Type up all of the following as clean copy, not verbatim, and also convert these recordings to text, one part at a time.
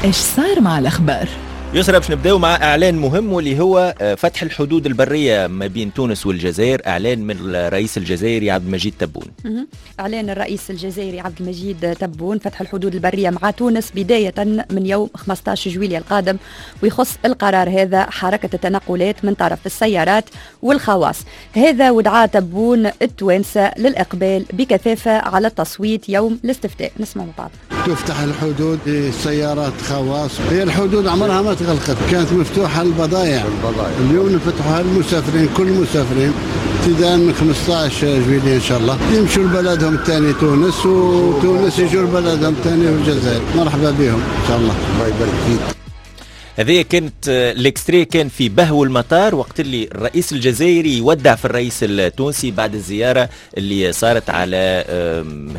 ايش صار مع الاخبار؟ يسرى، باش نبداو مع اعلان مهم واللي هو فتح الحدود البرية ما بين تونس والجزائر، اعلان من الرئيس الجزائري عبد المجيد تبون. اعلان الرئيس الجزائري عبد المجيد تبون فتح الحدود البرية مع تونس بداية من يوم 15 جويلية القادم، ويخص القرار هذا حركة التنقلات من طرف السيارات والخواص. هذا ودعا تبون التوانسة للاقبال بكثافة على التصويت يوم الاستفتاء. نسمع مع بعض. تفتح الحدود للسيارات خواص، هي الحدود عمرها ما تغلقت، كانت مفتوحة للبضائع. اليوم نفتحوها للمسافرين، كل المسافرين ابتداء من 15 جويلية ان شاء الله يمشوا لبلدهم الثاني تونس، وتونس يجوا لبلدهم الثاني في الجزائر. مرحبا بهم ان شاء الله. الله يبارك فيك. هذه كانت l'extrait كان في بهو المطار وقت اللي الرئيس الجزائري يودع في الرئيس التونسي بعد الزيارة اللي صارت على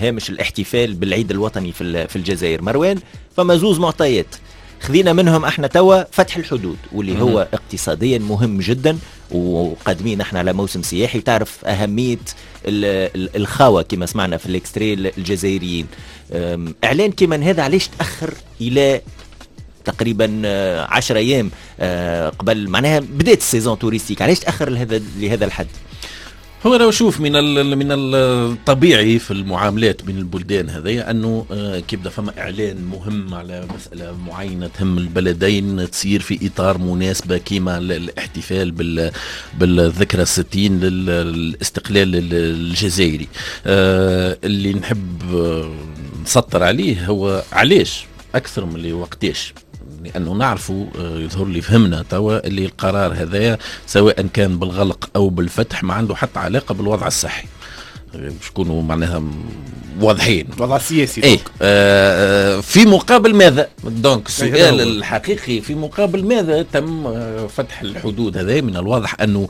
هامش الاحتفال بالعيد الوطني في الجزائر. مروان، فما زوز معطيات خذينا منهم احنا توا: فتح الحدود واللي هو اقتصاديا مهم جدا، وقادمين احنا على موسم سياحي، تعرف اهمية الخاوه كما سمعنا في l'extrait الجزائريين. اعلان كما هذا علاش تاخر الى تقريبا 10 ايام قبل معناها بدات ال saison touristique؟ علاش تاخر لهذا الحد؟ هو لو شوف، من الطبيعي في المعاملات بين البلدان هذيا انه كي يبدا فما اعلان مهم على مسالة معينة تهم البلدين تصير في اطار مناسبة كيما الاحتفال بالذكرى الستين للاستقلال الجزائري. اللي نحب نسطر عليه هو علاش اكثر من اللي وقتاش، لانه نعرفوا يظهر لي فهمنا توا اللي القرار هذايا سواء كان بالغلق او بالفتح ما عنده حتى علاقة بالوضع الصحي، باش نكونوا معناها واضحين. الوضع السياسي. ايه، في مقابل ماذا؟ donc السؤال الحقيقي، في مقابل ماذا تم فتح الحدود هذا؟ من الواضح انه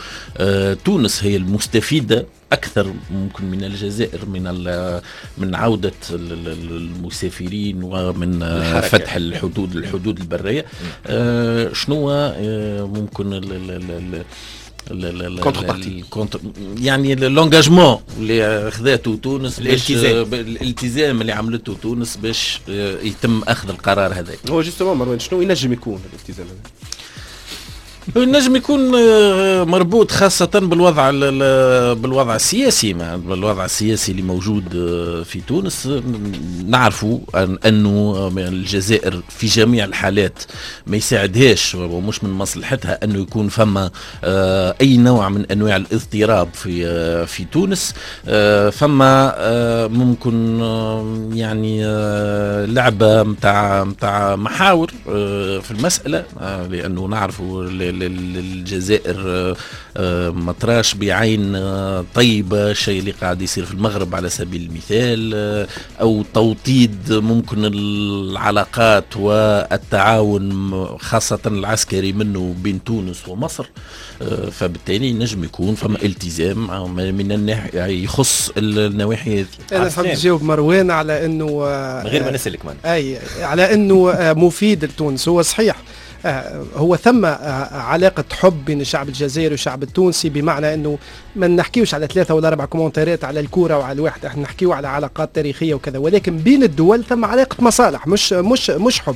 تونس هي المستفيده اكثر ممكن من الجزائر من عوده المسافرين ومن الحركة. فتح الحدود البريه. شنو ممكن contrepartie؟ يعني l'engagement اللي خذاته تونس؟ الالتزام. الالتزام اللي عملته تونس باش يتم اخذ القرار هذا. هو justement مروان، شنو ينجم يكون الالتزام هذا؟ ينجم يكون مربوط خاصة بالوضع السياسي اللي موجود في تونس. نعرفوا أنه الجزائر في جميع الحالات ما يساعدهاش ومش من مصلحتها أنه يكون فما أي نوع من أنواع الاضطراب في تونس. فما ممكن يعني لعبة متاع محاور في المسألة، لأنه نعرفوا الجزائر ما تراش بعين طيبة الشيء اللي قاعد يصير في المغرب على سبيل المثال، أو توطيد ممكن العلاقات والتعاون خاصة العسكري منه بين تونس ومصر. فبالتالي نجم يكون فما التزام من الناحية يخص النواحي هذه. انا نحب نجاوب مروان على انه من غير ما نسالك. من اي، على انه مفيد لتونس. هو صحيح، هو ثم علاقة حب بين الشعب الجزائري والشعب التونسي، بمعنى انه ما نحكيوش على ثلاثة ولا أربع commentaire ات على الكورة وعلى الواحد، احنا نحكيو على علاقات تاريخية وكذا، ولكن بين الدول ثم علاقة مصالح مش حب.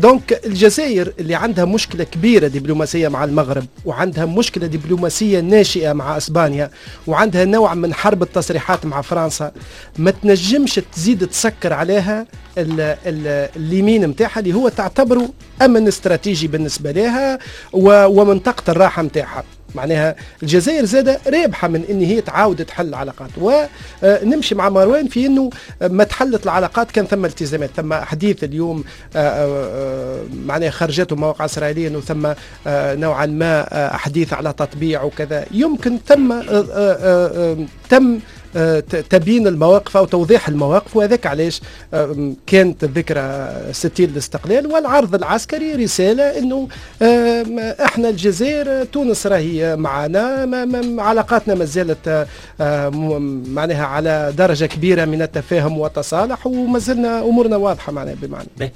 donc الجزائر اللي عندها مشكلة كبيرة دبلوماسية مع المغرب، وعندها مشكلة دبلوماسية ناشئة مع اسبانيا، وعندها نوع من حرب التصريحات مع فرنسا، ما تنجمش تزيد تسكر عليها اليمين نتاعها اللي هو تعتبره امن استراتيجي بالنسبة لها ومنطقة الراحة نتاعها. معناها الجزائر زادة رابحة من ان هي تعاود تحل العلاقات، ونمشي مع مروان في انه ما تحلت العلاقات كان ثم التزامات. ثم حديث اليوم معناها خرجته مواقع اسرائيلية انه ثم نوعا ما حديث على تطبيع وكذا. يمكن تم تبيين المواقف او توضيح المواقف، وهذاك علاش كانت الذكرى 60 للاستقلال والعرض العسكري رسالة انه احنا الجزائر، تونس راهي معنا، علاقاتنا ما زالت معناها على درجه كبيرة من التفاهم والتصالح، وما زلنا امورنا واضحة معناها بمعنى.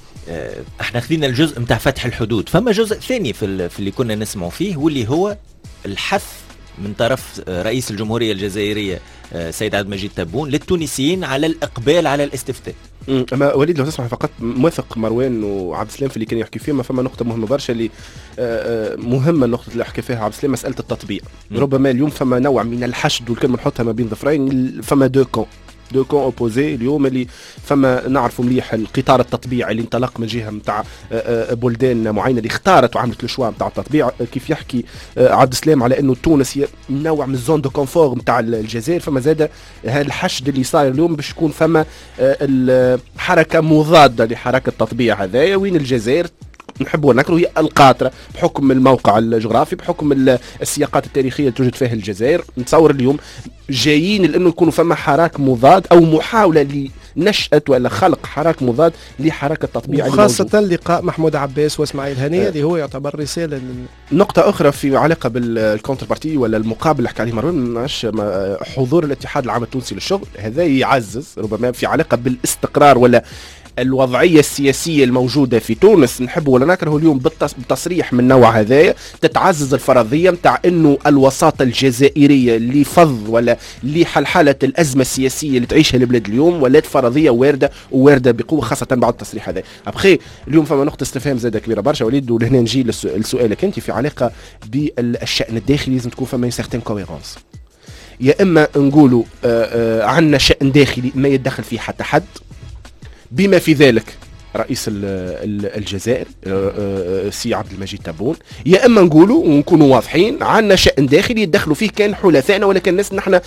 احنا خذينا الجزء نتاع فتح الحدود، فما جزء ثاني في اللي كنا نسمعوا فيه واللي هو الحث من طرف رئيس الجمهورية الجزائرية سيد عبد المجيد تبون للتونسيين على الإقبال على الاستفتاء. اما وليد لو تسمح فقط، موافق مروان وعبد السلام في اللي كان يحكي فيه، ما فما نقطة مهمة برشا اللي مهمه، النقطة اللي حكى فيها عبد السلام، مسالة التطبيع. ربما اليوم فما نوع من الحشد، والكلمة نحطها ما بين ظفرين، فما deux camps opposés اليوم اللي فما نعرفوا مليح القطار التطبيع اللي انطلق من جهة نتاع بلدان معينة اللي اختارت وعملت le choix نتاع التطبيع، كيف يحكي عبد السلام على انه تونس هي نوع من ال zone de confort نتاع الجزائر. فما زاد هذا الحشد اللي صاير اليوم باش يكون فما حركة مضادة لحركة التطبيع هذايا، وين الجزائر نحب ونكره هي القاطرة بحكم الموقع الجغرافي، بحكم السياقات التاريخية اللي توجد فيها الجزائر. نتصور اليوم جايين لانه يكونوا فما حراك مضاد او محاولة لنشأة ولا خلق حراك مضاد لحركة التطبيع. وخاصة لقاء محمود عباس واسماعيل هنية اللي هو يعتبر رسالة. نقطة أخرى في علاقة بال contrepartie ولا المقابل اللي حكى عليه مروان، حضور الاتحاد العام التونسي للشغل هذا يعزز ربما في علاقة بالاستقرار ولا الوضعية السياسية الموجودة في تونس. نحب ولا نكره اليوم بتصريح من نوع هذايا تتعزز الفرضية نتاع انه الوساطة الجزائرية لفض ولا لحلحله الازمة السياسية اللي تعيشها البلاد اليوم ولات فرضية وارده ووارده بقوه، خاصة بعد التصريح هذا. après اليوم فما نقطة استفهام زاده كبيرة برشا وليد، ولهنا نجي لسؤالك انت في علاقة بالشان الداخلي، لازم تكون فما certaine cohérence. يا اما نقولوا عندنا شان داخلي ما يتدخل فيه حتى حد، بما في ذلك رئيس الجزائر سي عبد المجيد تبون، يا اما نقولوا ونكونوا واضحين عندنا شان داخلي يدخلوا فيه كان حلفائنا ولا كان ناس نحن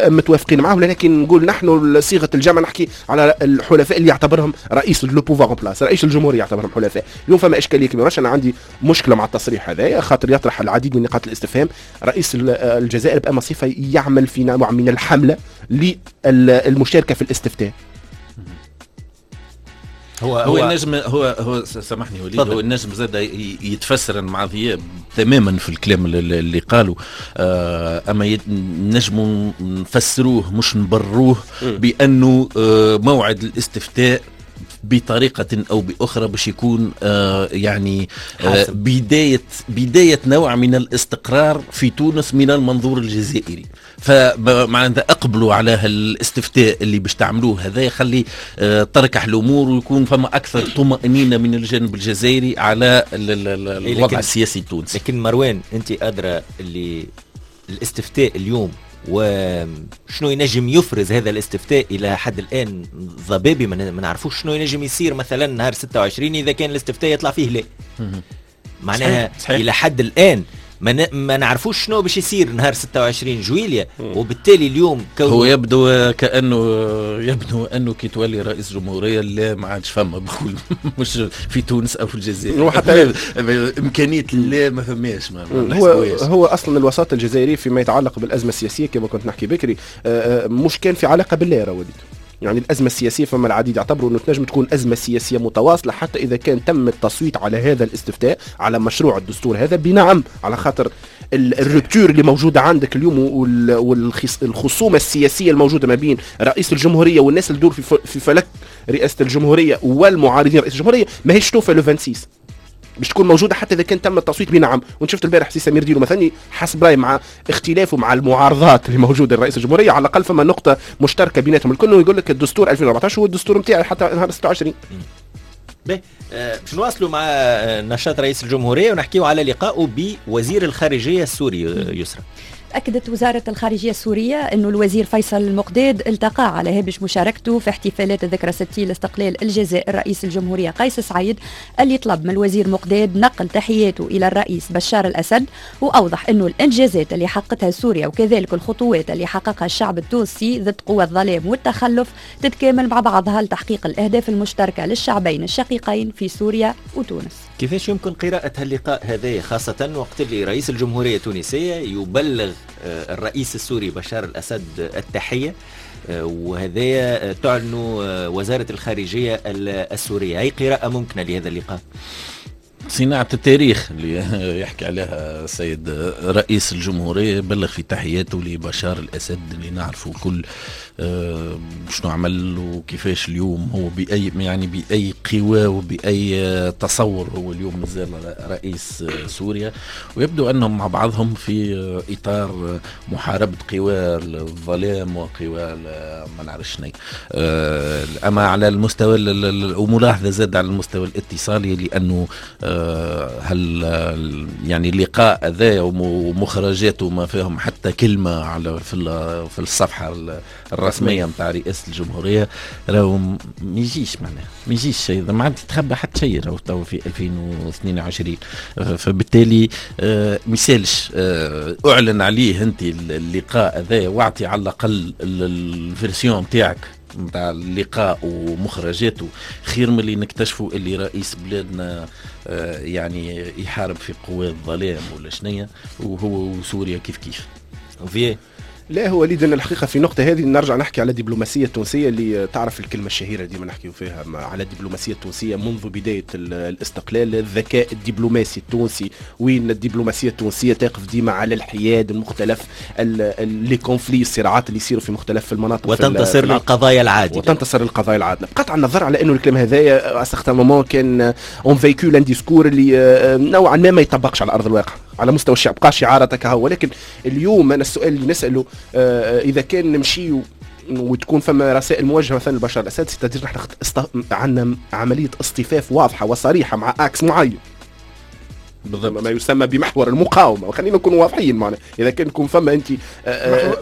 متوافقين معهم، لكن نقول نحن صيغة الجمع نحكي على الحلفاء اللي يعتبرهم رئيس le pouvoir en place، رئيس الجمهورية يعتبرهم حلفاء. اليوم فما اشكالية كبيرة، انا عندي مشكلة مع التصريح هذا خاطر يطرح العديد من نقاط الاستفهام. رئيس الجزائر بأما صفة يعمل في نوع من الحملة للمشاركة في الاستفتاء؟ هو النجم هو سامحني وليد، هو النجم زاد يتفسر مع ضياء تماما في الكلام اللي قاله، اما نجموا نفسروه مش نبروه بانه موعد الاستفتاء بطريقة أو بأخرى باش يكون يعني بداية نوع من الاستقرار في تونس من المنظور الجزائري. فمعناتها أقبلوا على الاستفتاء اللي باش تعملوه هذا يخلي تركح الأمور ويكون فما أكثر طمأنينة من الجانب الجزائري على الوضع السياسي التونسي. لكن مروان أنت أدرى اللي الاستفتاء اليوم وشنو ينجم يفرز هذا الاستفتاء الى حد الان ضبابي، ما نعرفوش شنو ينجم يصير مثلا نهار 26 اذا كان الاستفتاء يطلع فيه لا. معناها صحيح. الى حد الان ما نعرفوش شنو باش يصير نهار 26 جويليا، وبالتالي اليوم هو يبدو كانه يبدو انه كي تولي رئيس جمهورية لا ما عادش فما بقول مش في تونس او في الجزائر، وحتى امكانية لا ما فماش. هو اصلا الوساطة الجزائرية فيما يتعلق بالازمه السياسية كما كنت نحكي بكري مش كان في علاقة بالله وليد. يعني الأزمة السياسية فما العديد يعتبروا أنه تنجم تكون أزمة سياسية متواصلة حتى إذا كان تم التصويت على هذا الاستفتاء على مشروع الدستور هذا بنعم، على خاطر ال rupture اللي موجودة عندك اليوم والخصومة السياسية الموجودة ما بين رئيس الجمهورية والناس اللي تدور في فلك رئاسة الجمهورية والمعارضين رئيس الجمهورية ماهيش توفى le 26 باش تكون موجودة حتى اذا كان تم التصويت بنعم. وانت شفت البارح سي سمير ديلو مثلا حسب رايي مع اختلافه مع المعارضات اللي موجودة لرئيس الجمهورية على الاقل فما نقطة مشتركة بيناتهم الكل، يقول لك الدستور 2014 هو الدستور نتاعي حتى نهار 26. باهي باش نواصلوا مع نشاط رئيس الجمهورية ونحكيو على لقائه بوزير الخارجية السوري يسرى. أكدت وزارة الخارجية السورية أن الوزير فيصل المقداد التقى على هامش مشاركته في احتفالات الذكرى 60 لاستقلال الجزائر رئيس الجمهورية قيس سعيد، اللي طلب من الوزير مقداد نقل تحياته إلى الرئيس بشار الأسد، وأوضح أنه الإنجازات اللي حققتها سوريا وكذلك الخطوات اللي حققها الشعب التونسي ضد قوى الظلام والتخلف تتكامل مع بعضها لتحقيق الأهداف المشتركة للشعبين الشقيقين في سوريا وتونس. كيفاش يمكن قراءة هاللقاء هذا، خاصة وقت اللي رئيس الجمهورية التونسية يبلغ الرئيس السوري بشار الأسد التحية، وهذا تعلن وزارة الخارجية السورية؟ أي قراءة ممكنة لهذا اللقاء؟ صناعة التاريخ اللي يحكي عليها السيد رئيس الجمهورية، بلغ في تحياته لبشار الأسد اللي نعرفه كل شنو عمل وكيفاش اليوم هو بأي يعني بأي قوى وبأي تصور هو اليوم مازال رئيس سوريا، ويبدو أنهم مع بعضهم في إطار محاربة قوى الظلام وقوى ما نعرفش شنو. أما على المستوى وملاحظة زاد على المستوى الاتصالي، لأنه هل يعني اللقاء هذا ومخرجاته ما فيهم حتى كلمة على في الصفحة الرسمية نتاع رئاسة الجمهورية، راهو ما يجيش معناها ما يجيش شيء، ما عاد تتخبى حتى شيء راهو تو في 2022. فبالتالي ما يسالش اعلن عليه انت اللقاء هذا واعطي على الاقل ال version نتاعك نتاع اللقاء ومخرجاته، خير من اللي نكتشفوا اللي رئيس بلادنا يعني يحارب في قوى الظلام ولا شنية، وهو وسوريا كيف كيف. وفي لا هو وليد ان الحقيقة في النقطة هذه نرجع نحكي على الدبلوماسية التونسية اللي تعرف الكلمة الشهيرة ديما نحكيو فيها على الدبلوماسية التونسية منذ بداية الاستقلال، الذكاء الدبلوماسي التونسي، وين الدبلوماسية التونسية تقف ديما على الحياد المختلف les conflits، الصراعات اللي يصيروا في مختلف المناطق، وتنتصر للقضايا العادلة، وتنتصر للقضايا العادلة، بقطع النظر على انه الكلام هذايا à certain moment كان on véhicule un discours اللي نوعا ما ما يطبقش على ارض الواقع على مستوى الشعب، بقى شعاراتك هو. ولكن اليوم انا السؤال اللي نساله اذا كان نمشي وتكون فما رسائل موجهة مثلا لبشار الاسد، c'est-à-dire نحن عندنا عملية اصطفاف واضحة وصريحة مع axe معين بالضبط، ما يسمى بمحور المقاومة، وخلينا نكون واضحين معنا، اذا كان يكون فما انت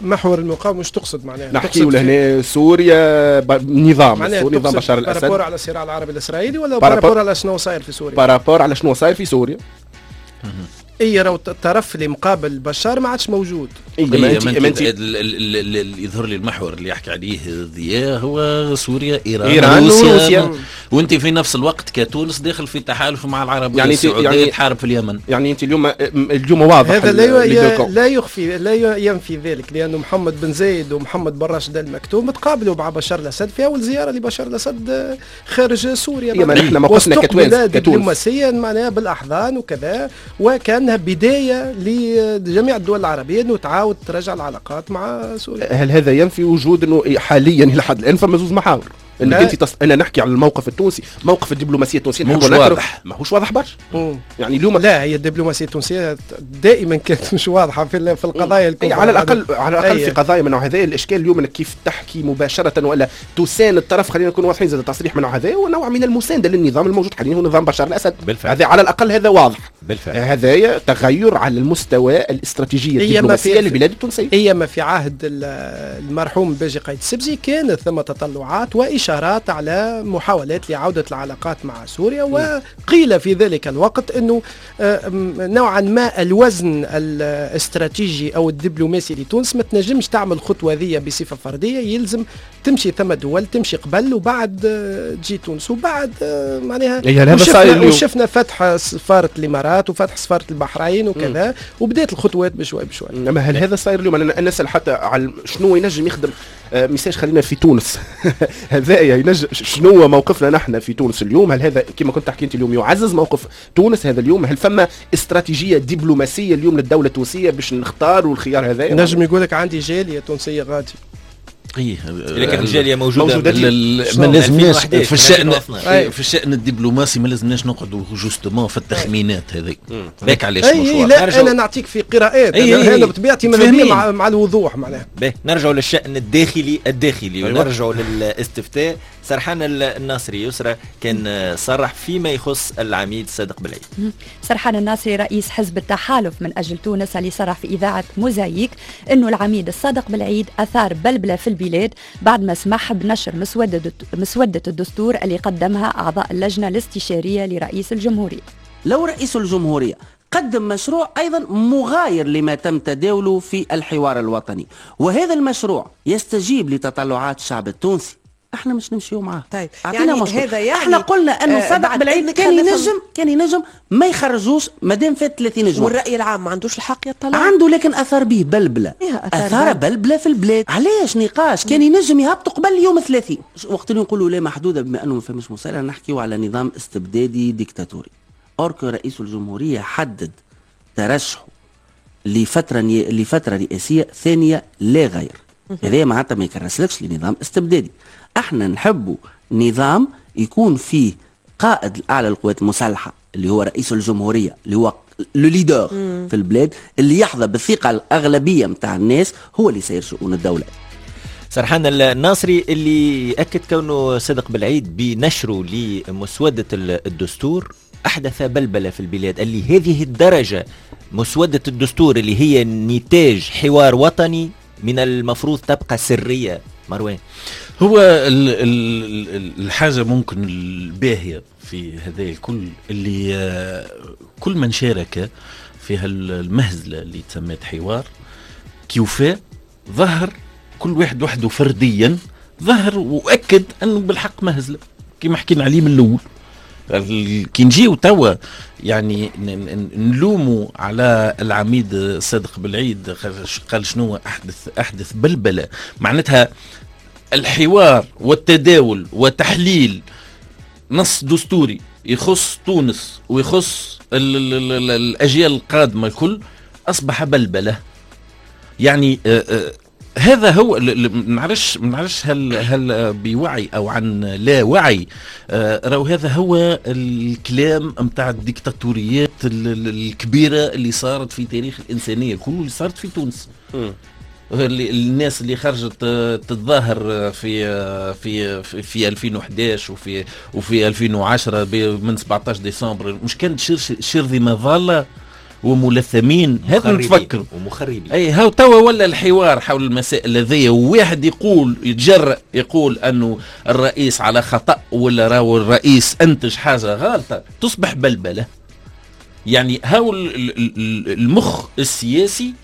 محور المقاومة مش تقصد معناها نحكيو لهنا سوريا نظام سوريا، نظام بشار الاسد، par rapport على الصراع العربي الاسرائيلي ولا par rapport على شنو صاير في سوريا؟ par rapport على شنو صاير في سوريا. اي راهو الطرف اللي مقابل بشار ما عادش موجود. اي ما انت يظهر لي المحور اللي يحكي عليه ضياء هو سوريا، ايران، روسيا، وانت في نفس الوقت كتونس داخل في تحالف مع العرب، يعني السعودية يعني تحارب في اليمن. يعني انت اليوم واضح هذا لا يخفي لا ينفي ذلك، لانه محمد بن زايد ومحمد بن راشد المكتوم تقابلوا مع بشار الاسد في اول زيارة لبشار الاسد خارج سوريا. ما نحن موقفنا كتونس دبلوماسيا معناها بالاحضان وكذا، وكانها بداية لجميع الدول العربية انه تعاود ترجع العلاقات مع سوريا. هل هذا ينفي وجود انه حاليا الى حد الان فما زوز محاور؟ انك انت انا نحكي على الموقف التونسي، موقف الدبلوماسية التونسية مش واضح، ماهوش واضح برشا. يعني اليوم لا، هي الدبلوماسية التونسية دائما كانت مش واضحة في القضايا الكبرى، على الاقل على الاقل في قضايا من نوع هذا. الاشكال اليوم انك كيف تحكي مباشرة ولا تساند الطرف، خلينا نكون واضحين، زاد تصريح من نوع هذا ونوع من المساندة للنظام الموجود حاليا هو نظام بشار الاسد. بالفعل. هذا على الاقل هذا واضح. بالفعل. هذا تغير على المستوى الاستراتيجية الدبلوماسية للبلاد التونسية. هي ما في عهد المرحوم باجي قايد السبزي كانت ثم تطلعات وإشارات على محاولات لعودة العلاقات مع سوريا، وقيل في ذلك الوقت أنه نوعا ما الوزن الاستراتيجي أو الدبلوماسي لتونس ما تنجمش تعمل خطوة ذي بصفة فردية، يلزم تمشي ثم دول تمشي قبل وبعد تجي تونس، وبعد معناها وشفنا فتح سفارة الإمارات وفتح سفارة البحرين وكذا، وبدأت الخطوات بشوي بشوي. أما هل هذا صاير اليوم؟ أنا نسأل حتى على شنو ينجم يخدم message، خلينا في تونس هذا ينجم شنو موقفنا نحن في تونس اليوم؟ هل هذا كما كنت تحكي انت اليوم يعزز موقف تونس هذا اليوم؟ هل فما استراتيجية دبلوماسية اليوم للدولة التونسية باش نختاروا الخيار هذا؟ نجم يقول لك عندي جالية تونسية غادي. ايه لكن الجالية موجودة، ما لازمناش في الشأن في الشأن الدبلوماسي ما لازمناش نقعدوا justement في التخمينات هذيك. هذاك علاش مش لا انا نعطيك في قراءات، انا بطبيعتي ماذا مع الوضوح معناها. نرجعوا للشأن الداخلي أيوة. ونرجعوا للاستفتاء. سرحان الناصري يسرى كان صرح فيما يخص العميد صادق بالعيد. سرحان الناصري رئيس حزب التحالف من أجل تونس اللي صرح في إذاعة موزايك أنه العميد الصادق بالعيد أثار بلبلة في البلاد بعد ما سمح بنشر مسودة الدستور اللي قدمها أعضاء اللجنة الاستشارية لرئيس الجمهورية. لو رئيس الجمهورية قدم مشروع أيضا مغاير لما تم تداوله في الحوار الوطني، وهذا المشروع يستجيب لتطلعات الشعب التونسي، احنا مش نمشيو معاه. طيب يعني هذا يعني احنا قلنا انه صادق بالعيد كان ينجم ما يخرجوش مادام فات 30 جوان. والراي العام ما عندوش الحق يطلع؟ عنده، لكن اثار به بلبلة، اثار بلبلة في البلاد. علاش نقاش كان ينجم يهبطوا قبل يوم 30 وقت اللي نقولوا لا محدودة، بما انه ما فماش مسألة نحكيو على نظام استبدادي ديكتاتوري. or que رئيس الجمهورية حدد ترشحه لفترة رئاسيه ثانية لا غير. هذا معناتها ما يكرسلكش لنظام استبدادي. احنا نحبوا نظام يكون فيه قائد الاعلى للقوات المسلحة اللي هو رئيس الجمهورية، اللي هو le leader في البلاد، اللي يحظى بالثقة الاغلبية نتاع الناس، هو اللي يسير شؤون الدولة. سرحان الناصري اللي أكد كونه صادق بالعيد بنشره لمسودة الدستور أحدث بلبلة في البلاد، اللي هذه الدرجة مسودة الدستور اللي هي نتاج حوار وطني من المفروض تبقى سرية. مروان، هو الحاجة ممكن الباهية في هذا الكل اللي كل من شارك في هالمهزلة اللي تسميت حوار كيوفاء ظهر كل واحد وحده فرديا، ظهر وأكد أنه بالحق مهزلة كما حكينا عليه من الأول. كي نجيو توا يعني نلوموا على العميد صادق بالعيد قال شنو أحدث بلبلة، معناتها الحوار والتداول وتحليل نص دستوري يخص تونس ويخص الأجيال القادمة الكل أصبح بلبلة. يعني هذا هو معرفش هل بوعي او عن لا وعي، راهو هذا هو الكلام نتاع الديكتاتوريات الكبيرة اللي صارت في تاريخ الانسانية كله، اللي صارت في تونس. الناس اللي خرجت تتظاهر في في في 2011 وفي 2010 من 17 ديسمبر، مش كانت شرذمه ضالة وملثمين؟ هذا نتفكر ومخربين. اي هاو توا ولا الحوار حول المسائل هذيا، وواحد يقول يتجرأ يقول انه الرئيس على خطأ ولا راهو الرئيس انتج حاجة غلطه، تصبح بلبلة. يعني هاو المخ السياسي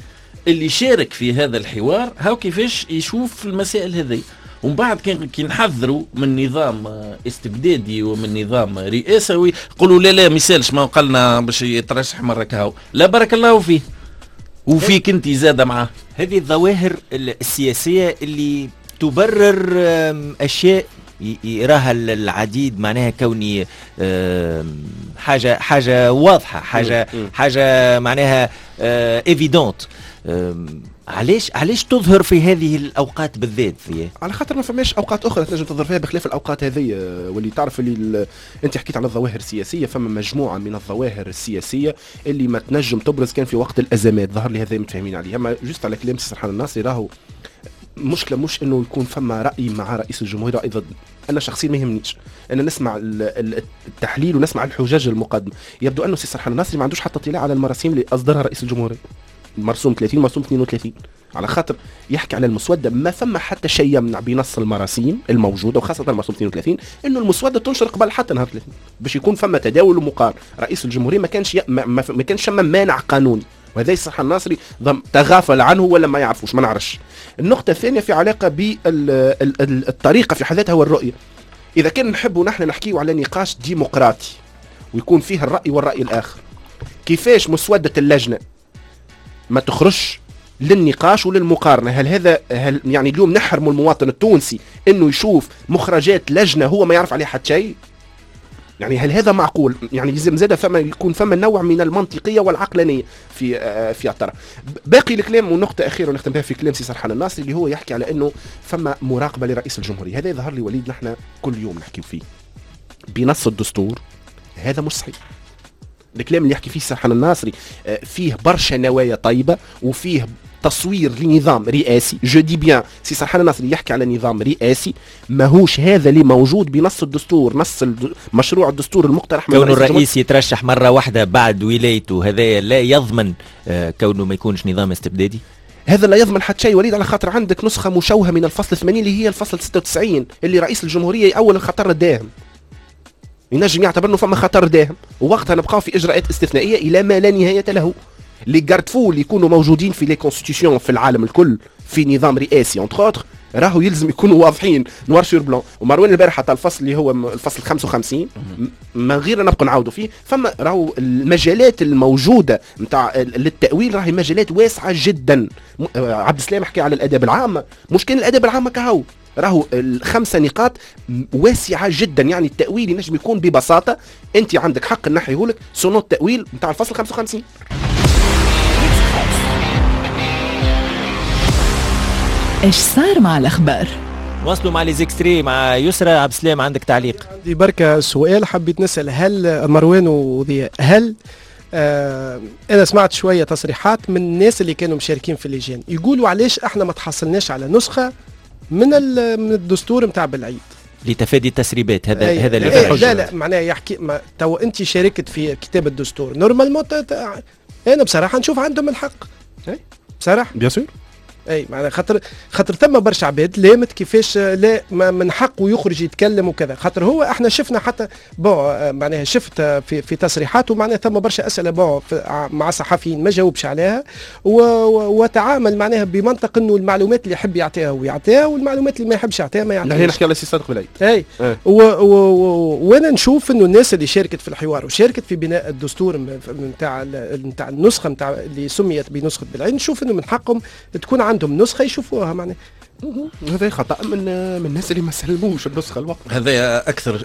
اللي شارك في هذا الحوار هاو كيفاش يشوف المسائل هذه. ومن بعد كي نحذروا من نظام استبدادي ومن نظام رئاسوي يقولوا لا لا ما يسالش، ما قالنا باش يترشح مرة كهو، لا بارك الله فيه وفيك انت زاده معاه. هذه الظواهر السياسية اللي تبرر اشياء يراها العديد معناها كوني حاجة واضحة، حاجة معناها évidente. علاش تظهر في هذه الاوقات بالذات؟ في على خاطر ما فماش اوقات اخرى تنجم تظهر فيها بخلاف الاوقات هذه. واللي تعرف اللي انت حكيت على الظواهر السياسية، فما مجموعة من الظواهر السياسية اللي ما تنجم تبرز كان في وقت الازمات، ظهر لي هذا متفاهمين عليه. اما juste على كلام سي سرحان الناصري، راهو مشكلة مش انه يكون فما راي مع رئيس الجمهورية راي ضد، انا شخصيا ما يهمنيش، انا نسمع التحليل ونسمع الحجاج المقدمة. يبدو انه سي سرحان الناصري ما عندوش حتى اطلاع على المراسيم اللي اصدرها رئيس الجمهورية، مرسوم 30 مرسوم 32، على خاطر يحكي على المسودة. ما فما حتى شيء يمنع بنص المراسيم الموجودة وخاصة المرسوم 32 انه المسودة تنشر قبل حتى نهار 30 باش يكون فما تداول ومقارنة. رئيس الجمهورية ما كانش ما كانش مانع قانوني، وهذا الصح الناصري تغافل عنه ولا ما يعرفوش، ما نعرفش. النقطة الثانية في علاقة بالطريقة في حد ذاتها والرؤية. إذا كان نحبوا نحن نحكيو على نقاش ديمقراطي ويكون فيه الرأي والرأي الآخر، كيفاش مسودة اللجنة ما تخرجش للنقاش وللمقارنة؟ هل هذا هل يعني اليوم نحرم المواطن التونسي انه يشوف مخرجات لجنة هو ما يعرف عليها حتى شيء؟ يعني هل هذا معقول؟ يعني لازم زاد فما يكون فما نوع من المنطقية والعقلانية في الطرح. باقي الكلام ونقطة أخيرة ونختم بها في كلام سي سرحان الناصري اللي هو يحكي على انه فما مراقبة لرئيس الجمهورية. هذا يظهر لي وليد نحن كل يوم نحكي فيه بنص الدستور، هذا مش صحيح. الكلام اللي يحكي فيه سرحان الناصري فيه برشا نوايا طيبة وفيه تصوير لنظام رئاسي. je dis bien سي سرحان الناصري يحكي على نظام رئاسي، ماهوش هذا اللي موجود بنص الدستور، نص مشروع الدستور المقترح. كون الرئيس يترشح مرة واحدة بعد ولايته هذا لا يضمن كونه ما يكونش نظام استبدادي. هذا لا يضمن حتى شيء وليد، على خاطر عندك نسخة مشوهة من الفصل 80 اللي هي الفصل 96 اللي رئيس الجمهورية يأول الخطر الداهم، ينجم يعتبر انه فما خطر داهم، ووقتها نبقاو في اجراءات استثنائية الى ما لا نهاية له. les garde-fous اللي يكونوا موجودين في les constitutions في العالم الكل في نظام رئاسي entre autres راهو يلزم يكونوا واضحين noir sur blanc. ومروان البارح حتى الفصل اللي هو الفصل 55 من غير نبقى نعاودوا فيه، فما راهو المجالات الموجودة نتاع للتاويل راهي مجالات واسعة جدا. عبد السلام حكى على الاداب العامة، مش كان الاداب العامة كهو، راهو الخمسة نقاط واسعة جدا، يعني التاويل ينجم يكون ببساطة انت عندك حق نحيهولك selon التاويل نتاع الفصل 55. ايش صار مع الاخبار؟ وصلوا مع les extraits مع يسرى عبد السلام، عندك تعليق؟ عندي بركة سؤال حبيت نسال، هل مروان وضياء، هل انا سمعت شوية تصريحات من الناس اللي كانوا مشاركين في اللجان يقولوا علاش احنا ما تحصلناش على نسخه من الدستور نتاع بالعيد لتفادي التسريبات؟ هذا هذا اللي لا لا معناها يحكي تو انت شاركت في كتاب الدستور normalement، انا بصراحة نشوف عندهم الحق بصراحة bien sûr. اي معناها خاطر ثم برشا عباد لامت كيفاش لا من حقه يخرج يتكلم وكذا، خاطر هو احنا شفنا حتى bon معناها شفت في تصريحاته معناها ثم برشا اسئلة bon مع صحفيين ما جاوبش عليها، وتعامل معناها بمنطق انه المعلومات اللي يحب يعطيها ويعطيها والمعلومات اللي ما يحبش يعطيها ما يعطيهاش. نحن نحكي على سي صادق بالعيد. اي وانا نشوف انه الناس اللي شاركت في الحوار وشاركت في بناء الدستور نتاع النسخة نتاع اللي سميت بنسخه بالعيد، نشوف انه من حقهم تكون عندهم نسخه يشوفوها. معناها هذا خطا من الناس اللي ما سلموش النسخة الوقت. هذا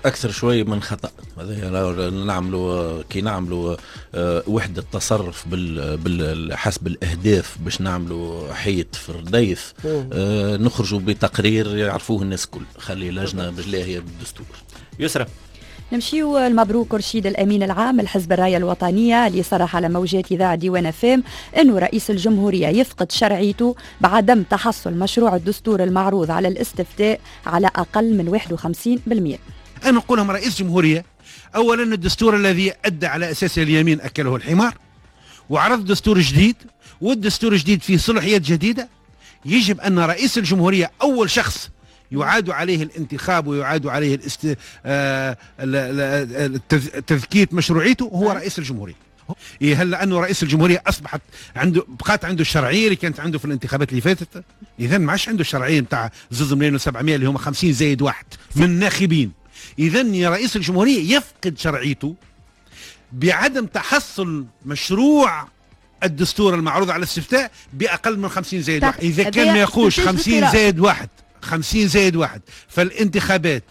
اكثر شوي من خطا. هذا نعملوا كي نعملوا وحده تصرف بال حسب الاهداف باش نعملوا حيط في الرديف، نخرجوا بتقرير يعرفوه الناس الكل، خلي لجنة بالله بالدستور. يسرى نمشيو المبروك رشيد الأمين العام لحزب الراية الوطنية اللي صرح على موجات إذاعة ديوان فام أنه رئيس الجمهورية يفقد شرعيته بعدم تحصل مشروع الدستور المعروض على الاستفتاء على أقل من 51%. أنا نقول لهم رئيس الجمهورية أولا الدستور الذي أدى على أساسه اليمين أكله الحمار، وعرض دستور جديد، والدستور الجديد فيه صلاحيات جديدة. يجب أن رئيس الجمهورية أول شخص يعاد عليه الانتخاب ويعاد عليه تذكية مشروعيته هو رئيس الجمهورية. هل لأنه رئيس الجمهورية أصبحت عنده بقات عنده الشرعية اللي كانت عنده في الانتخابات اللي فاتت؟ إذا ما عادش عنده الشرعية نتاع 2,7 مليون اللي هما 50+1 من الناخبين. إذا رئيس الجمهورية يفقد شرعيته بعدم تحصل مشروع الدستور المعروض على الاستفتاء بأقل من 50+1. إذا كان ما يقولش 50+1 50+1 فالانتخابات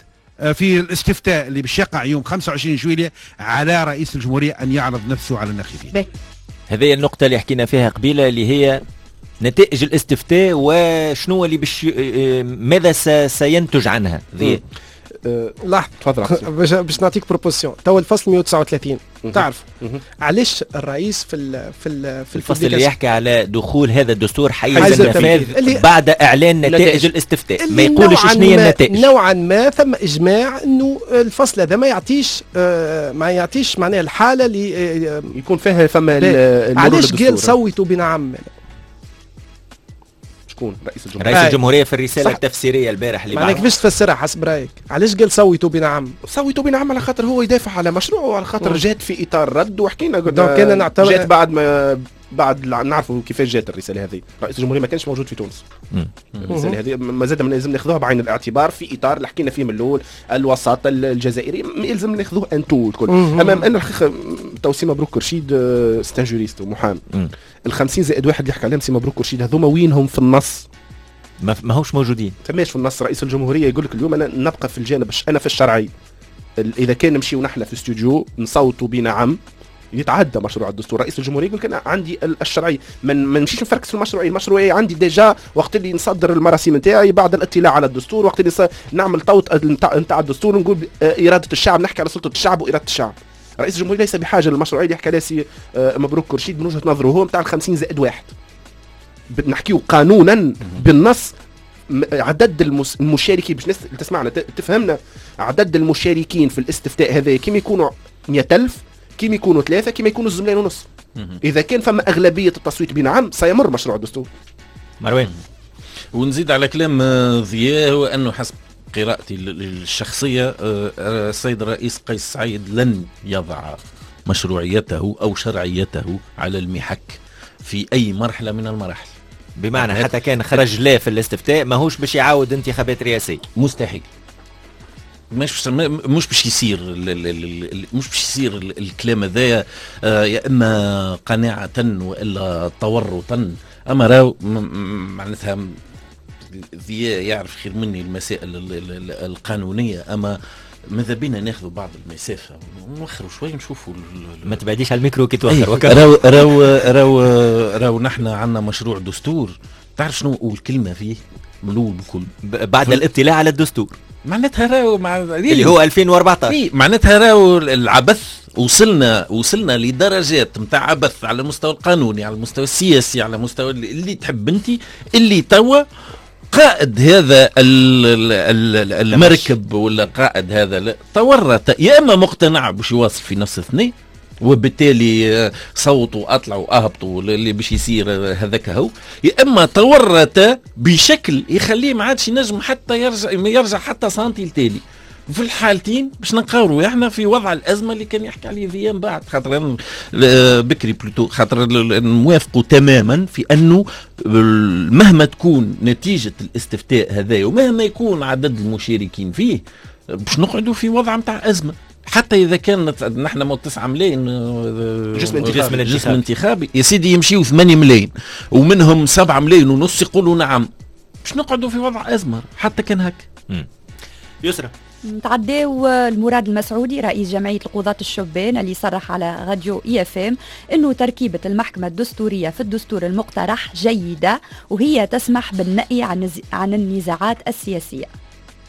في الاستفتاء اللي باش يقع يوم 25 جويلية على رئيس الجمهورية أن يعرض نفسه على الناخبين. هذه النقطة اللي حكينا فيها قبيلة اللي هي نتائج الاستفتاء وشنو اللي باش ماذا سينتج عنها. لحظة تفضل باش نعطيك proposition. تو الفصل 139 تعرف علاش الرئيس في في في الفصل اللي يحكي على دخول هذا الدستور حيز النفاذ بعد اعلان نتائج الاستفتاء، ما يقولش شنو هي النتائج. نوعا ما ثم اجماع انه الفصل هذا ما يعطيش ما يعطيش معناها الحالة اللي يكون فيها فما علاش قال صوتوا بنعم. شكون رئيس الجمهورية؟ رئيس الجمهورية في الرسالة التفسيرية البارح اللي معناها كيفاش تفسرها حسب رايك؟ علاش قال صوتوا بنعم؟ صوتوا بنعم على خاطر هو يدافع على مشروعه وعلى خاطر جات في اطار رد، وحكينا قلنا نعتبر جات بعد ما بعد نعرفوا كيفاش جات الرسالة هذه. رئيس الجمهورية ما كانش موجود في تونس. الرسالة هذه ما زاد لازم ناخذوها بعين الاعتبار في اطار اللي حكينا فيه من الاول، الوساطة الجزائرية يلزم ناخذوه en tout الكل. امام ان الحقيقة تو سي مبروك رشيد c'est un juriste ومحامي. ال 50+1 اللي حكى عليهم سي مبروك رشيد هذوما وينهم في النص؟ ماهوش موجودين. فماش في النص. رئيس الجمهورية يقول لك اليوم انا نبقى في الجانب، انا في الشرعي. اذا كان نمشيو نحن في استوديو نصوتوا بنعم يتعدى مشروع الدستور، رئيس الجمهورية يقول لك انا عندي الشرعي، ما نمشيش نفركس في المشروعية، المشروعية عندي déjà وقت اللي نصدر المراسيم نتاعي بعد الاطلاع على الدستور، وقت اللي نعمل توط نتاع الدستور نقول اراده الشعب، نحكي على سلطة الشعب واراده الشعب. رئيس الجمهورية ليس بحاجة للمشروعيه اللي حكى عليها سي مبروك كرشيد من وجهه نظره هو نتاع 50+1. نحكيو قانونا بالنص عدد المشاركين باش تسمعنا تفهمنا، عدد المشاركين في الاستفتاء هذا كيما يكونوا 100,000 كيما يكونوا 3 كيما يكونوا 2.5 مليون. إذا كان فما أغلبية التصويت بنعم سيمر مشروع الدستور. مروان، ونزيد على كلام ضياء هو أنه حسب قراءتي الشخصية السيد الرئيس قيس سعيد لن يضع مشروعيته أو شرعيته على المحك في أي مرحلة من المراحل. بمعنى حتى كان خرج لا في الاستفتاء ماهوش باش يعاود انتخابات رئاسية. مستحيل. مش باش يصير مش باش يصير الكلام هذايا، يا اما قناعة والا تورطا. اما راهو معناتها ضياء يعرف خير مني المسائل القانونية، اما ماذا بينا ناخذوا بعض المسافة ونوخروا شوي نشوفوا. ما تبعديش على الميكرو كي توخر. راو راو راو راو نحن عندنا مشروع دستور، تعرف شنو الكلمة فيه من الاول بكل بعد الاطلاع على الدستور، معناتها راهو اللي هو 2014 إيه، معناتها راهو العبث وصلنا لدرجات نتاع عبث على المستوى القانوني، على المستوى السياسي، على المستوى اللي تحب انت، اللي توا قائد هذا المركب ولا قائد هذا تورط، يا اما مقتنع باش يواصل في نفس الثنية وبالتالي صوتوا اطلعوا اهبطوا اللي باش يصير هذاك هو، يا اما تورط بشكل يخليه ما عادش ينجم حتى يرجع حتى سنتي لتالي. في الحالتين باش نلقاو احنا في وضع الازمة اللي كان يحكي عليه ذيان بعد، خاطر بكري plutôt، خاطر نوافقوا تماما في انه مهما تكون نتيجة الاستفتاء هذا ومهما يكون عدد المشاركين فيه باش نقعدوا في وضع نتاع ازمة، حتى اذا كان نحن 9 ملايين جسم انتخابي يا سيدي يمشيوا 8 ملايين ومنهم 7 ملايين ونص يقولوا نعم، باش نقعدوا في وضع ازمة حتى كان هكا. يسرى نتعداو المراد المسعودي رئيس جمعية القضاة الشبان اللي صرح على راديو IFM انه تركيبة المحكمة الدستورية في الدستور المقترح جيدة وهي تسمح بالنأي عن النزاعات السياسية.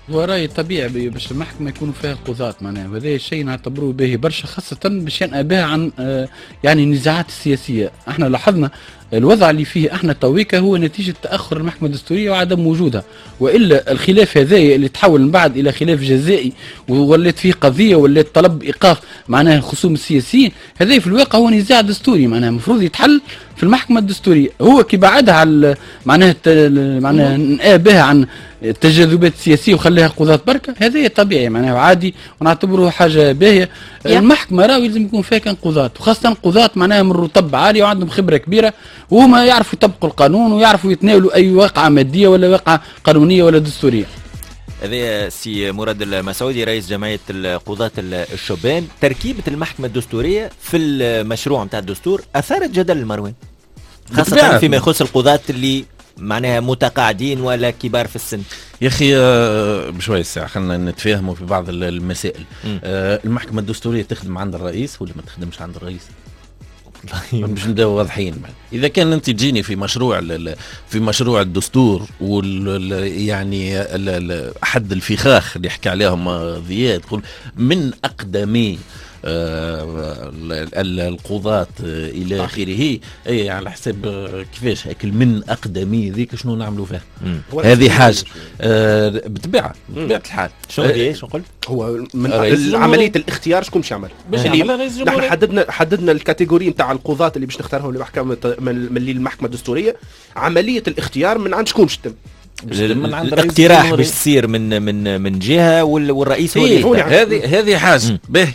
هو رأي طبيعي باش المحكمة يكونوا فيها القضاة معناها، وهذا الشيء نعتبروه باهي برشا، خاصة باش ينأى بها عن يعني النزاعات السياسية. احنا لاحظنا الوضع اللي فيه احنا تويكا هو نتيجة تأخر المحكمة الدستورية وعدم وجودها، وإلا الخلاف هذا اللي تحول من بعد إلى خلاف جزائي وولات فيه قضية ولات طلب إيقاف معناها الخصوم السياسيين، هذا في الواقع هو نزاع دستوري معناها المفروض يتحل في المحكمة الدستورية. هو كي بعدها على معناها نأى بها عن التجاذبات السياسية وخليها قضاة بركة، هذا طبيعي معناها عادي ونعتبره حاجة باهية. المحكمة راهو لازم يكون فيها كان قضاة، وخاصة قضاة معناها من رتب عالية وعندهم خبرة كبيرة وهما يعرفوا يطبقوا القانون ويعرفوا يتناولوا أي واقعة مادية ولا واقعة قانونية ولا دستورية. هذا سي مراد المسعودي رئيس جمعية القضاة الشبان. تركيبة المحكمة الدستورية في المشروع نتاع الدستور أثارت جدل مروان، خاصة فيما يخص القضاة اللي معناها متقاعدين ولا كبار في السن. يا اخي بشوية الساعة خلينا نتفاهموا في بعض المسائل. المحكمة الدستورية تخدم عند الرئيس ولا ما تخدمش عند الرئيس؟ باش نبداو واضحين. اذا كان انت تجيني في مشروع في مشروع الدستور وال يعني احد الفخاخ اللي حكى عليهم ضياء، تقول من اقدمي القضاة الى اخره، اي على حساب كيفاش هاك من اقدمي ذيك شنو نعملوا فيها؟ هذه حاجة بطبيعة الحال. شنو شنو قلت؟ هو من عملية الاختيار شكون باش يعمل؟ نحن حددنا ال catégorie نتاع القضاة اللي باش نختارهم لمحكمة من المحكمة الدستورية. عملية الاختيار من عند شكون باش تتم؟ الاقتراح باش تصير من من من جهة والرئيس هو اللي هذه حاجة. به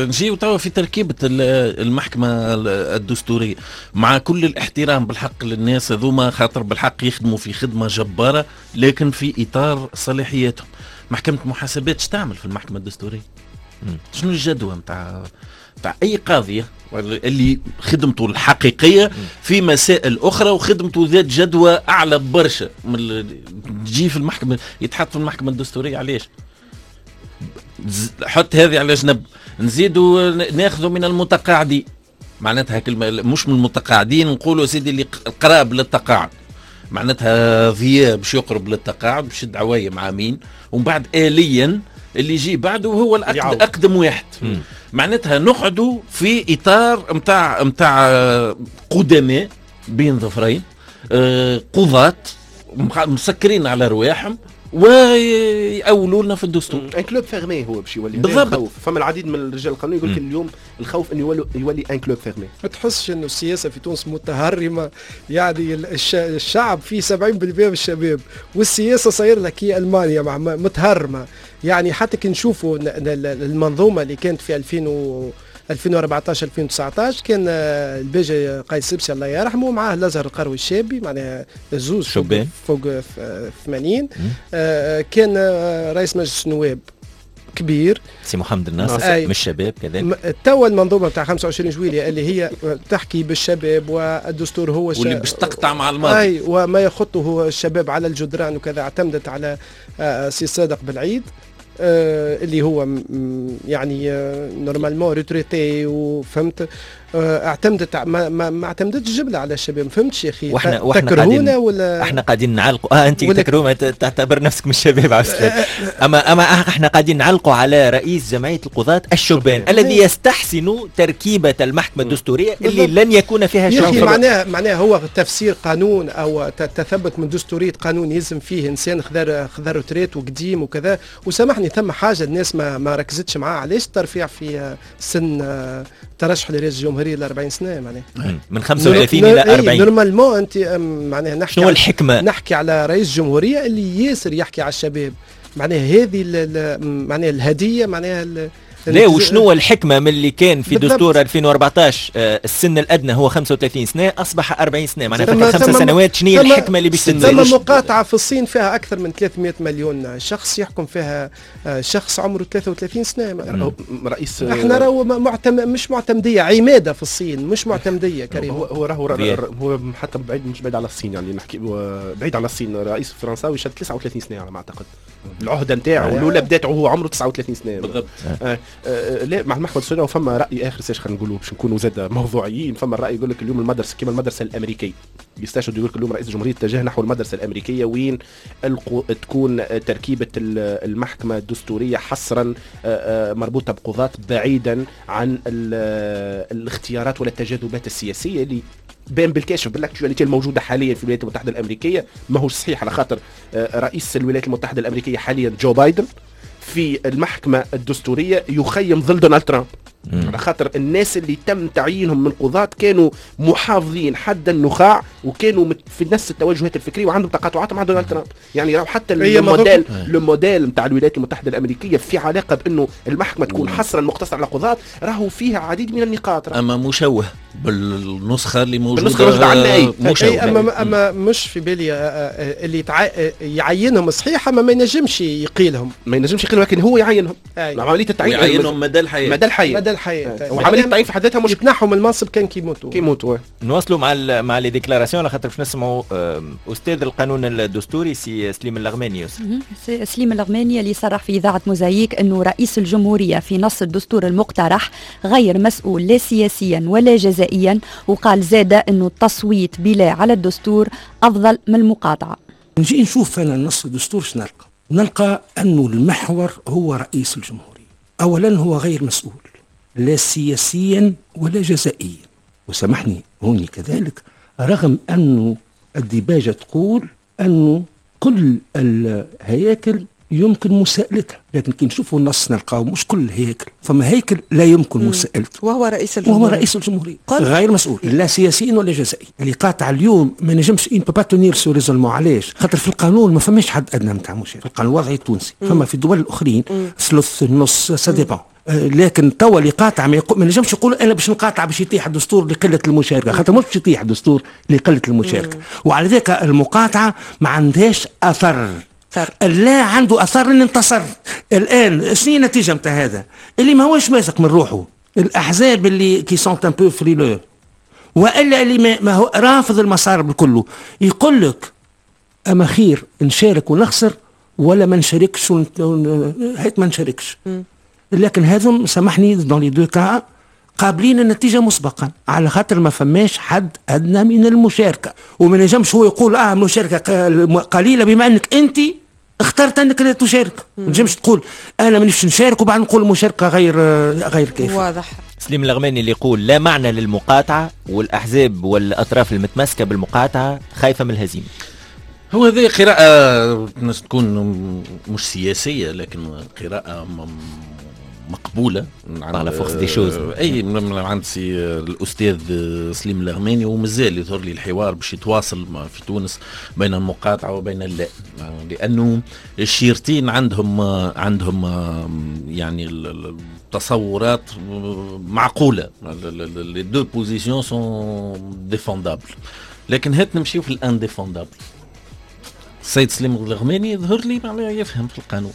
نجيو توا في تركيبه المحكمة الدستورية، مع كل الاحترام بالحق للناس هذوما، خاطر بالحق يخدموا في خدمة جبارة لكن في اطار صلاحياتهم. محكمة محاسبات اش تعمل في المحكمة الدستورية؟ شنو الجدوى نتاع اي قاضيه اللي خدمته الحقيقية في مسائل اخرى وخدمته ذات جدوى اعلى برشا من تجي في المحكمة، يتحط في المحكمة الدستورية؟ علاش؟ حط هذه على جنب. نزيدوا ناخذوا من المتقاعدين، معناتها كلمة مش من المتقاعدين، نقولوا سيدي اللي قراب للتقاعد، معناتها ضياء باش يقرب للتقاعد باش يشد عوايم عامين ومن بعد آليا اللي يجي بعده هو الأقدم واحد. معناتها نقعدوا في إطار متاع قدماء بين ظفرين، قضاة مسكرين على رواحهم ويأولوا لنا في الدستور. un club fermé هو باش يولي بالضبط. فما العديد من الرجال القانوني يقول لك اليوم الخوف انه يولي un club fermé. ما تحسش انه السياسة في تونس متهرمه؟ يعني الشعب فيه 70% من الشباب والسياسة صاير لك هي المانيا مع متهرمه. يعني حتى كي نشوفوا المنظومة اللي كانت في 2014 2019 كان الباجي قايد سبسي الله يرحمه معاه الازهر القروي الشابي، معناها زوز فوق 80، كان رئيس مجلس النواب كبير، سي محمد الناصر من الشباب كذلك. توا المنظومة نتاع 25 جويلية اللي هي تحكي بالشباب والدستور هو واللي باش تقطع مع الماضي، اي وما يخطه الشباب على الجدران وكذا، اعتمدت على سي صادق بالعيد اللي هو يعني normalement retraité، وفهمت اعتمدت ما اعتمدتش جملة على الشباب. ما فهمتش يا اخي، واحنا قاعدين ولا احنا قاعدين نعلقوا انت تكرهون تعتبر نفسك من الشباب عبد السلام. اما احنا قاعدين نعلقوا على رئيس جمعية القضاة الشبان الذي يستحسن تركيبه المحكمة الدستورية اللي لن يكون فيها شباب. معناها هو تفسير قانون او تثبت من دستورية قانون يلزم فيه انسان خذا retraite وقديم وكذا. وسامحني ثم حاجة الناس ما ركزتش معاه، علاش الترفيع في سن ترشح لرئاسة الجمهورية ل 40 سنة معناها من 35 الى 40 normalement انت معناها نحكي شنو الحكمة؟ نحكي على رئيس جمهورية اللي ياسر يحكي على الشباب، معناها هذه معناها الهدية معناها لا. وشنو الحكمة من اللي كان في دستور 2014 السن الأدنى هو 35 سنة أصبح 40 سنة، معناها فات 5 سنوات. شنو هي الحكمة اللي باش تنزل؟ ثم مقاطعة في الصين فيها أكثر من 300 مليون شخص يحكم فيها شخص عمره 33 سنة. رئيس احنا راهو مش معتمدية، عمادة في الصين مش معتمدية كريم. هو راهو هو حتى بعيد، مش بعيد على الصين، يعني نحكي بعيد على الصين. رئيس الفرنساوي شد 39 سنة على ما أعتقد، العهدة نتاعو الأولى بدات وهو عمره 39 سنة بالضبط. لا مع المحكمة الدستورية. وفما راي اخر ساش خلينا نقولوا باش نكونوا زاد موضوعيين، فما الراي يقول لك اليوم المدرسة كما المدرسة الامريكية، يستشهد يقول لك اليوم رئيس الجمهورية اتجه نحو المدرسة الامريكية وين تكون تركيبه المحكمة الدستورية حصرا مربوطة بقضاة بعيدا عن الاختيارات ولا التجاذبات السياسية اللي بان بالكاشف بال actualité الموجودة حاليا في الولايات المتحدة الامريكية. ماهوش صحيح على خاطر رئيس الولايات المتحدة الامريكية حاليا جو بايدن في المحكمة الدستورية يخيم ظل دونالد ترامب، على خاطر الناس اللي تم تعيينهم من قضاة كانوا محافظين حد النخاع وكانوا في نفس التوجهات الفكرية وعندهم تقاطعات مع دونالد ترامب. يعني راهو حتى الموديل نتاع الولايات المتحدة الأمريكية في علاقة بأنه المحكمة تكون حصرا مقتصرة على قضاة، راهو فيها عديد من النقاط. أما مشوه بالنسخة اللي موجودة عندنا. مشوه أما مش في بالي اللي يعينهم صحيح، أما ما ينجمش يقيلهم، ما ينجمش يقيلهم، لكن هو يعينهم. عملية التعيين يعينهم مدى الحياة، مدى الحياة، مدى الحياة. وعملية التعيين في حد ذاتها مش يتنحوا من المنصب كان كيموتوا. نواصلوا مع les déclarations على خاطر باش نسمعوا استاذ القانون الدستوري سي سليم اللغماني. يوسف سليم اللغماني اللي صرح في اذاعة موزايك انه رئيس الجمهورية في نص الدستور المقترح غير مسؤول لا سياسيا ولا جزائيا، وقال زاد انه التصويت بلا على الدستور افضل من المقاطعة. نجي نشوف انا النص الدستور شنو نلقى؟ نلقى انه المحور هو رئيس الجمهورية. اولا هو غير مسؤول لا سياسيا ولا جزائيا، وسامحني هوني كذلك، رغم أنه الديباجة تقول أنه كل الهياكل يمكن مساءلتها، لكن كي نشوفوا النص نلقاو مش كل الهياكل، فما هيكل لا يمكن مساءلته وهو رئيس الجمهورية، وهو رئيس الجمهورية غير مسؤول لا سياسيا ولا جزائيا. اللي قاطع اليوم ما نجمش on peut pas tenir ce raisonnement. علاش؟ خاطر في القانون ما فماش حد ادنى نتاع مشاركة في القانون الوضعي التونسي، فما في الدول الاخرين ثلث النص ça dépend. لكن توا اللي قاطع ما نجمش يقول انا باش نقاطع باش يطيح الدستور لقلة المشاركة، خاطر مش باش يطيح الدستور لقلة المشاركة. وعلى ذلك المقاطعة ما عندهاش اثر، لا عنده اثر ان انتصر. الان شنو النتيجة نتاع هذا؟ اللي ما هوش واثق من روحه، الاحزاب اللي qui sont un peu frileux، والا اللي ما هو رافض المسار بالكله، يقول لك اما خير نشارك ونخسر ولا ما نشاركش هيت ما نشاركش. لكن هذم سامحني dans les deux cas قابلين النتيجة مسبقا، على خاطر ما فماش حد ادنى من المشاركة، وما نجمش هو يقول المشاركة قليله بما انك انت اخترت انك لا تشارك. ما نجمش تقول انا مانيش نشارك وبعد نقول المشاركة غير كافيه. واضح. سليم اللغماني اللي يقول لا معنى للمقاطعه، والاحزاب والاطراف المتمسكه بالمقاطعه خايفة من الهزيمة. هو هذه قراءة تكون مش سياسية لكن قراءة مقبولة على force des choses. اي من عند سي الاستاذ سليم اللغماني، ومازال يظهر لي الحوار باش يتواصل في تونس بين المقاطعة وبين اللا، لانه الشيرتين عندهم يعني التصورات معقولة، les deux positions sont défendables، لكن هات نمشيو في ال indéfendable. السيد سليم اللغماني يظهر لي معناها يفهم في القانون،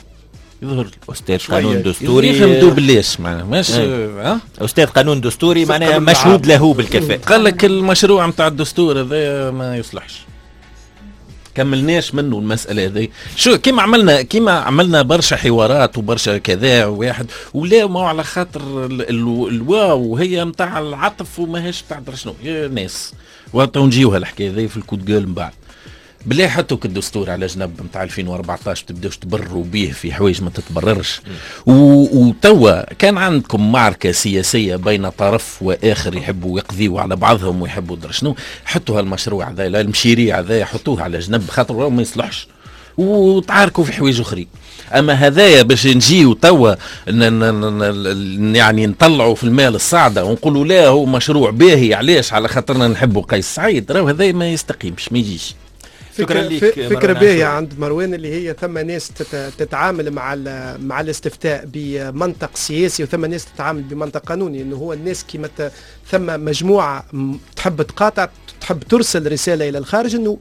يظهر استاذ قانون دستوري يفهم دوبليش معناها ماشي. استاذ قانون دستوري معناها مشهود له بالكفاءة. قال لك المشروع نتاع الدستور هذا ما يصلحش، كملناش منه المسألة هذه. شو كيما عملنا برشا حوارات وبرشا كذا واحد ولا ما على خاطر الواو هي نتاع العطف وماهيش نتاع شنو يا ناس. وتو نجيوها الحكاية هذه في ال coup de gueule من بعد. بالله حطوا الدستور على جنب نتاع 2014، تبداوش تبرروا به في حوايج ما تتبررش. وتوا كان عندكم معركة سياسية بين طرف واخر يحبوا يقضيوا على بعضهم ويحبوا درا شنو، حطوا هالمشروع هذا المشيريع هذا حطوه على جنب خاطر ما يصلحش، وتعاركوا في حوايج اخرين. اما هذايا باش نجيو توا يعني نطلعوا في المال الصعده ونقولوا لا هو مشروع باهي علاش؟ على خاطرنا نحبوا قيس سعيد، راهو هذايا ما يستقيمش ما يجيش. فكرة باهية عند مروان اللي هي ثم ناس تتعامل مع الاستفتاء بمنطق سياسي وثم ناس تتعامل بمنطق قانوني. انه هو الناس كيما ثم مجموعة تحب تقاطع، تحب ترسل رسالة الى الخارج انه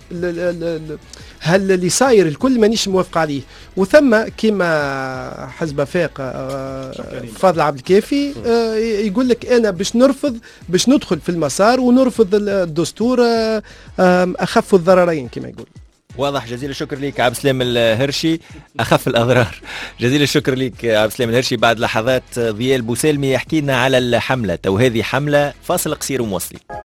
هل اللي صاير الكل مانيش موافق عليه، وثم كيما حزب فاق فاضل عبد الكافي يقول لك انا باش نرفض، باش ندخل في المسار ونرفض الدستور اخف الضررين كما يقول. واضح. جزيل الشكر لك عبد السلام الهرشي، اخف الاضرار. جزيل الشكر لك عبد السلام الهرشي. بعد لحظات ضياء البوسالمي يحكي لنا على الحملة، تو هذه حمله، فاصل قصير ومواصلين.